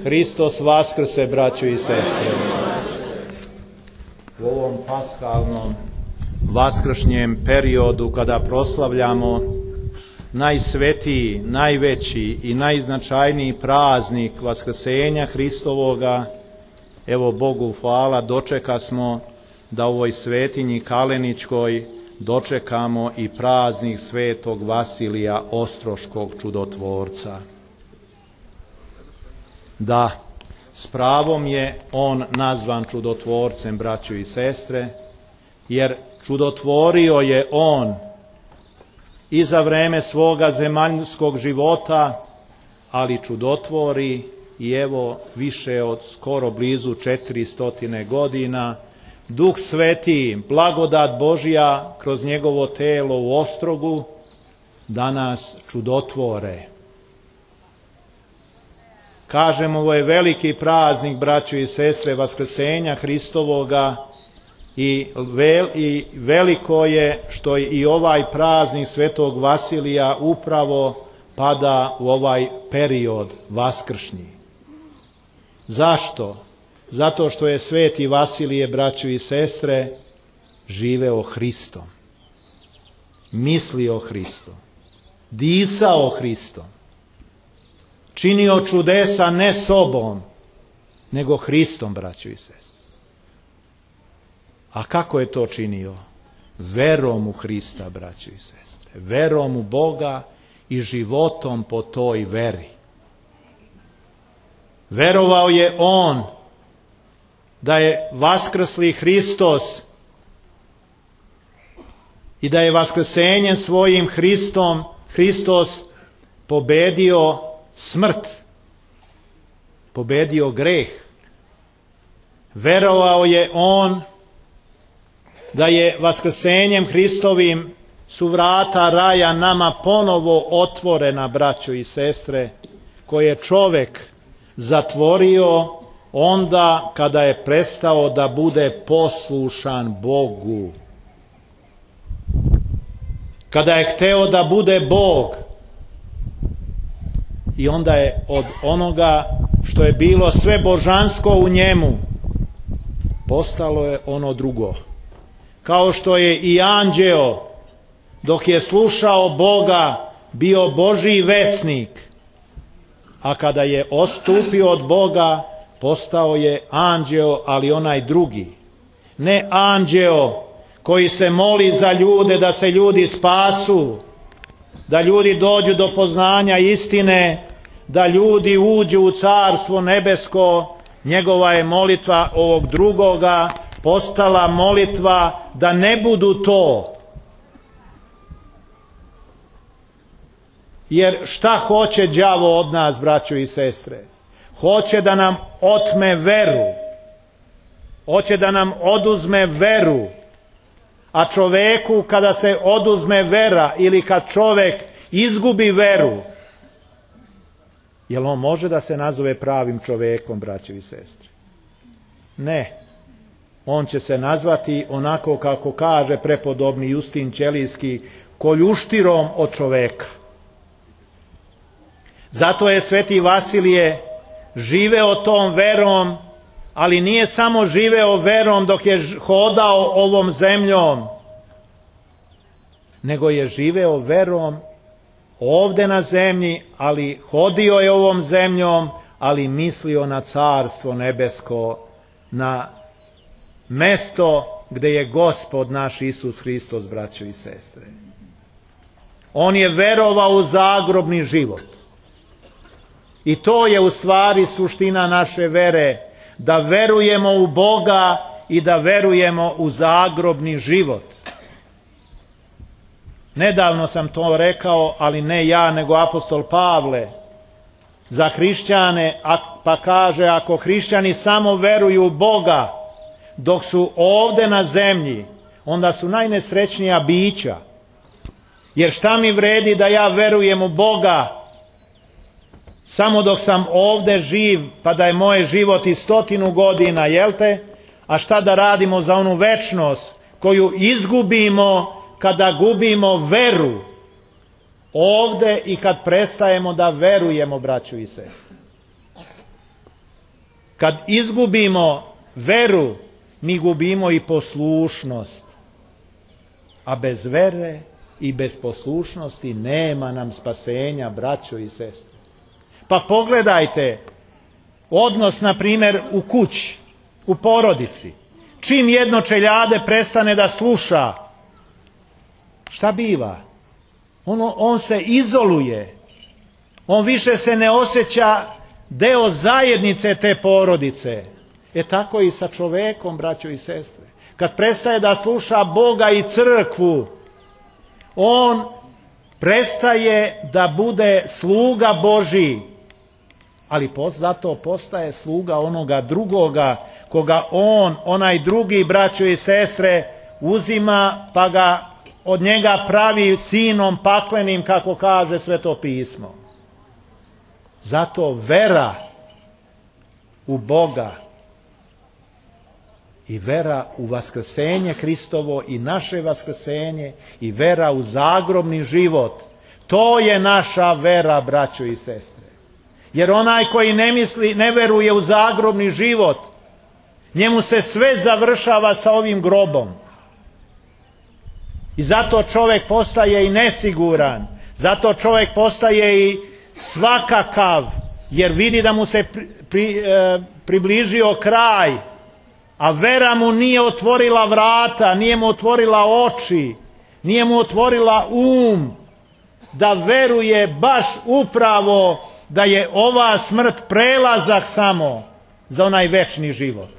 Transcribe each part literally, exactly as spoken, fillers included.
Hristos vaskrse, braćo i sestre. U ovom paskalnom vaskršnjem periodu kada proslavljamo najsvetiji, najveći i najznačajniji praznik Vaskrsenja Hristovoga, evo Bogu hvala, dočeka smo da u ovoj svetinji Kaleničkoj dočekamo i praznik svetog Vasilija Ostroškog čudotvorca. Da, s pravom je on nazvan čudotvorcem, braćo i sestre, jer čudotvorio je on i za vreme svoga zemaljskog života, ali čudotvori i evo više od skoro blizu četiri stotine godina, Duh Sveti, blagodat Božja kroz njegovo telo u Ostrogu danas čudotvore. Kažemo, ovo je veliki praznik, braćo i sestre, Vaskrsenja Hristovoga i, vel, i veliko je što i ovaj praznik svetog Vasilija upravo pada u ovaj period vaskršnji. Zašto? Zato što je sveti Vasilije, braćo i sestre, živeo Hristom, mislio Hristom, disao Hristom, činio čudesa ne sobom, nego Hristom, braćo i sestre. A kako je to činio? Verom u Hrista, braćo i sestre, verom u Boga i životom po toj veri. Verovao je on da je vaskrsli Hristos i da je vaskrsenjem svojim Hristom Hristos pobedio smrt, pobedio greh. Verovao je on da je vaskrsenjem Hristovim su vrata raja nama ponovo otvorena, braćo i sestre, koje je čovek zatvorio onda kada je prestao da bude poslušan Bogu. Kada je hteo da bude Bog, i onda je od onoga što je bilo sve božansko u njemu postalo je ono drugo. Kao što je i anđeo dok je slušao Boga bio Božji vesnik, a kada je odstupio od Boga postao je anđeo, ali onaj drugi. Ne anđeo koji se moli za ljude da se ljudi spasu, da ljudi dođu do poznanja istine, da ljudi uđu u carstvo nebesko. Njegova je molitva ovog drugoga postala molitva da ne budu to. Jer šta hoće đavo od nas, braćo i sestre? Hoće da nam otme veru. Hoće da nam oduzme veru. A čoveku kada se oduzme vera ili kad čovek izgubi veru, jel on može da se nazove pravim čovekom, braćo i sestre? Ne. On će se nazvati onako kako kaže prepodobni Justin Ćelijski, koljuštirom od čoveka. Zato je sveti Vasilije živeo tom verom, ali nije samo živeo verom dok je hodao ovom zemljom, nego je živeo verom ovde na zemlji, ali hodio je ovom zemljom, ali mislio na carstvo nebesko, na mesto gde je Gospod naš Isus Hristos, braćo i sestre. On je verovao u zagrobni život. I to je u stvari suština naše vere, da verujemo u Boga i da verujemo u zagrobni život. Nedavno sam to rekao, ali ne ja, nego apostol Pavle, za hrišćane, pa kaže, ako hrišćani samo veruju u Boga dok su ovde na zemlji, onda su najnesrećnija bića. Jer šta mi vredi da ja verujem u Boga samo dok sam ovde živ, pa da je moje život i stotinu godina, jel te? A šta da radimo za onu večnost koju izgubimo kada gubimo veru ovde i kad prestajemo da verujemo, braćo i sestre? Kad izgubimo veru, mi gubimo i poslušnost. A bez vere i bez poslušnosti nema nam spasenja, braćo i sestre. Pa pogledajte odnos, na primjer, u kući, u porodici. Čim jedno čeljade prestane da sluša, šta biva? Ono, on se izoluje. On više se ne osjeća deo zajednice te porodice. E tako i sa čovekom, braćo i sestre. Kad prestaje da sluša Boga i crkvu, on prestaje da bude sluga Božji, ali zato postaje sluga onoga drugoga, koga on, onaj drugi, braćo i sestre, uzima pa ga od njega pravi sinom paklenim, kako kaže Sveto pismo. Zato vera u Boga i vera u vaskrsenje Hristovo i naše vaskrsenje i vera u zagrobni život, to je naša vera, braćo i sestre. Jer onaj koji ne misli, ne veruje u zagrobni život, njemu se sve završava sa ovim grobom. I zato čovjek postaje i nesiguran, zato čovjek postaje i svakakav, jer vidi da mu se pri, pri, e, približio kraj, a vera mu nije otvorila vrata, nije mu otvorila oči, nije mu otvorila um, da veruje baš upravo da je ova smrt prelazak samo za onaj večni život.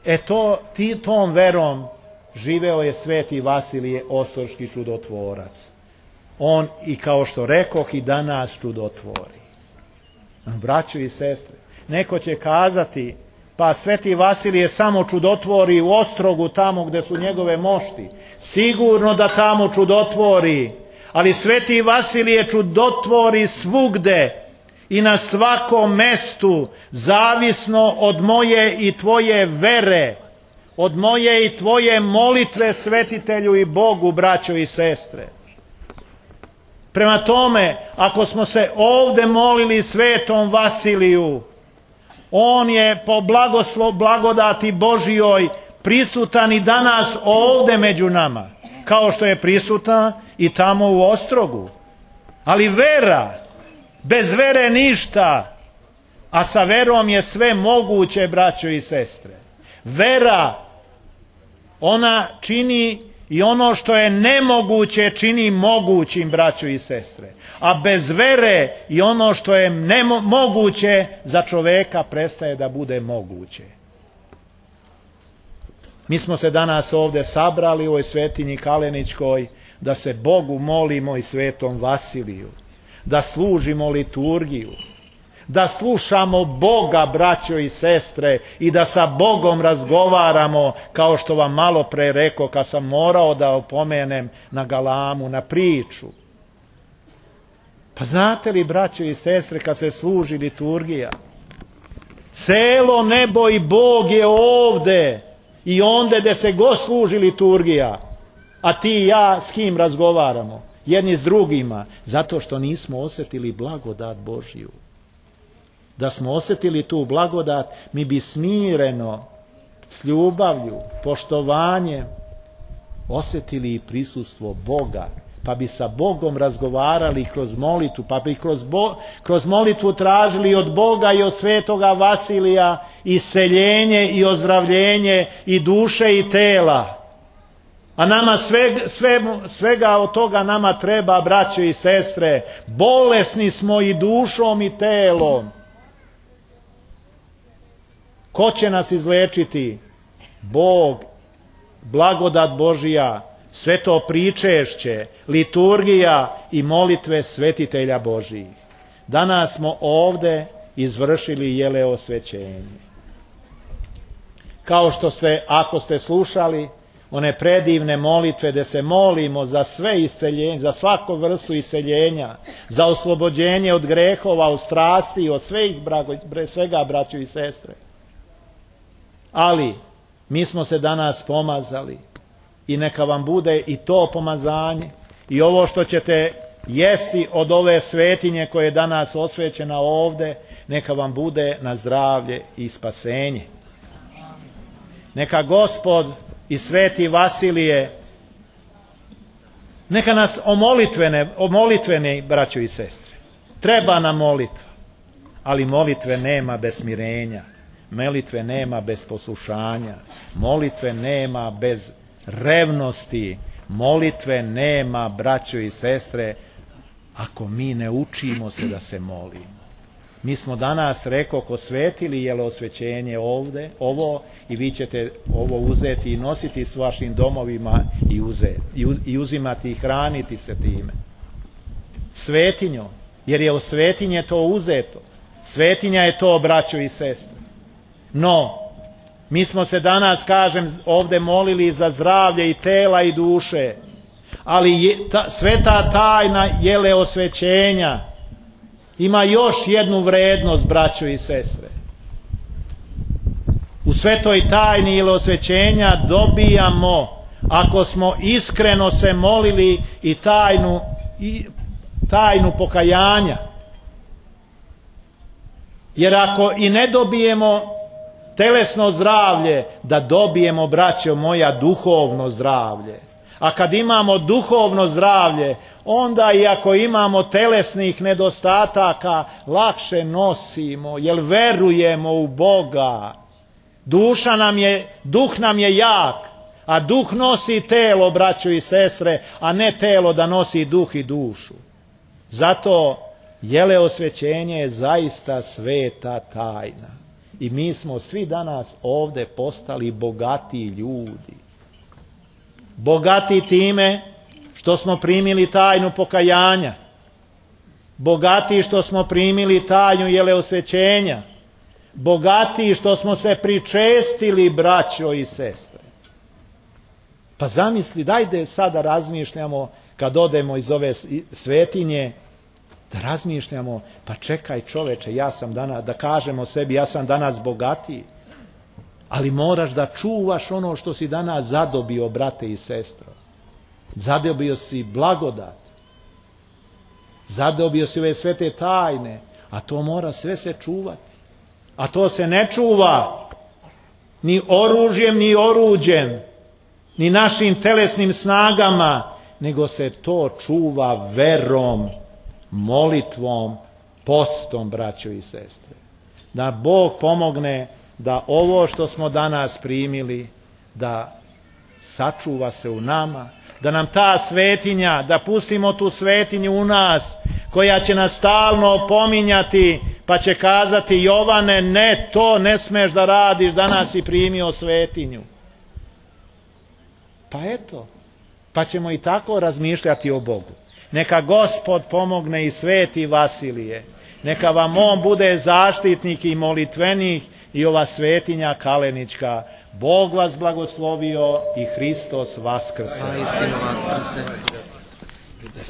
E to, ti, tom verom živeo je sveti Vasilije Osorški čudotvorac. On, i kao što rekoh, i danas čudotvori. Braćo i sestre, neko će kazati, pa sveti Vasilije samo čudotvori u Ostrogu, tamo gde su njegove mošti. Sigurno da tamo čudotvori, ali sveti Vasilije čudotvori svugde i na svakom mestu, zavisno od moje i tvoje vere, od moje i tvoje molitve svetitelju i Bogu, braćo i sestre. Prema tome, ako smo se ovde molili svetom Vasiliju, on je po blagoslov, blagodati Božijoj prisutan i danas ovde među nama, kao što je prisutan i tamo u Ostrogu. Ali vera, bez vere ništa, a sa verom je sve moguće, braćo i sestre. Vera, ona čini i ono što je nemoguće čini mogućim, braćo i sestre. A bez vere i ono što je nemoguće za čoveka prestaje da bude moguće. Mi smo se danas ovde sabrali u ovoj svetinji Kaleničkoj da se Bogu molimo i svetom Vasiliju, da služimo liturgiju, da slušamo Boga, braćo i sestre, i da sa Bogom razgovaramo, kao što vam malo pre rekao kad sam morao da opomenem na galamu, na priču. Pa znate li, braćo i sestre, kad se služi liturgija, celo nebo i Bog je ovde i onde gde se god služi liturgija, a ti i ja s kim razgovaramo? Jedni s drugima, zato što nismo osjetili blagodat Božju. Da smo osjetili tu blagodat, mi bi smireno, s ljubavlju, poštovanjem osjetili i prisustvo Boga, pa bi sa Bogom razgovarali kroz molitvu, pa bi kroz, bo, kroz molitvu tražili od Boga i od svetoga Vasilija isceljenje i ozdravljenje i duše i tela. A nama sveg, sve, svega od toga nama treba, braćo i sestre. Bolesni smo i dušom i telom. Ko će nas izlečiti? Bog, blagodat Božija, sveto pričešće, liturgija i molitve svetitelja Božijih. Danas smo ovde izvršili jeleosvećenje. Kao što ste, ako ste slušali one predivne molitve gde se molimo za sve isceljenje, za svaku vrstu isceljenja, za oslobođenje od grehova, od strasti, od svega, braćo i sestre. Ali mi smo se danas pomazali i neka vam bude i to pomazanje i ovo što ćete jesti od ove svetinje koje je danas osvećena ovde, neka vam bude na zdravlje i spasenje. Neka Gospod i sveti Vasilije, neka nas omolitvene, omolitvene, braćo i sestre. Treba nam molitva, ali molitve nema bez smirenja, molitve nema bez poslušanja, molitve nema bez revnosti, molitve nema, braćo i sestre, ako mi ne učimo se da se molimo. Mi smo danas, rekao, ko svetili jelosvećenje ovde, ovo, i vi ćete ovo uzeti i nositi s vašim domovima i, uzeti, i, uz, i uzimati i hraniti se time. Svetinjom, jer je o svetinje to uzeto. Svetinja je to, braćo i sestre. No, mi smo se danas, kažem, ovde molili za zdravlje i tela i duše, ali je, ta, sveta tajna jeleosvećenja ima još jednu vrednost, braćo i sestre. U svetoj tajni jeleosvećenja dobijamo, ako smo iskreno se molili, i tajnu, i tajnu pokajanja. Jer ako i ne dobijemo telesno zdravlje, da dobijemo, braćo moja, duhovno zdravlje. A kad imamo duhovno zdravlje, onda i ako imamo telesnih nedostataka, lakše nosimo, jer verujemo u Boga. Duša nam je, duh nam je jak, a duh nosi telo, braćo i sestre, a ne telo da nosi duh i dušu. Zato jeleosvećenje je zaista sveta tajna. I mi smo svi danas ovde postali bogatiji ljudi. Bogati time što smo primili tajnu pokajanja. Bogati što smo primili tajnu jeleosvećenja. Bogati što smo se pričestili, braćo i sestre. Pa zamisli, dajde sada razmišljamo, kad odemo iz ove svetinje, da razmišljamo, pa čekaj čoveče, ja sam danas, da kažemo sebi, ja sam danas bogatiji. Ali moraš da čuvaš ono što si danas zadobio, brate i sestro. Zadobio si blagodat. Zadobio si ove svete tajne, a to mora sve se čuvati. A to se ne čuva ni oružjem, ni oruđem, ni našim telesnim snagama, nego se to čuva verom, molitvom, postom, braćo i sestre. Da Bog pomogne da ovo što smo danas primili, da sačuva se u nama, da nam ta svetinja, da pustimo tu svetinju u nas, koja će nas stalno opominjati, pa će kazati: Jovane, ne, to ne smeš da radiš, danas si primio svetinju. Pa eto, pa ćemo i tako razmišljati o Bogu. Neka Gospod pomogne i sveti Vasilije, neka vam on bude zaštitnik i molitvenih, i ova svetinja kalenička. Bog vas blagoslovio i Hristos vaskrse.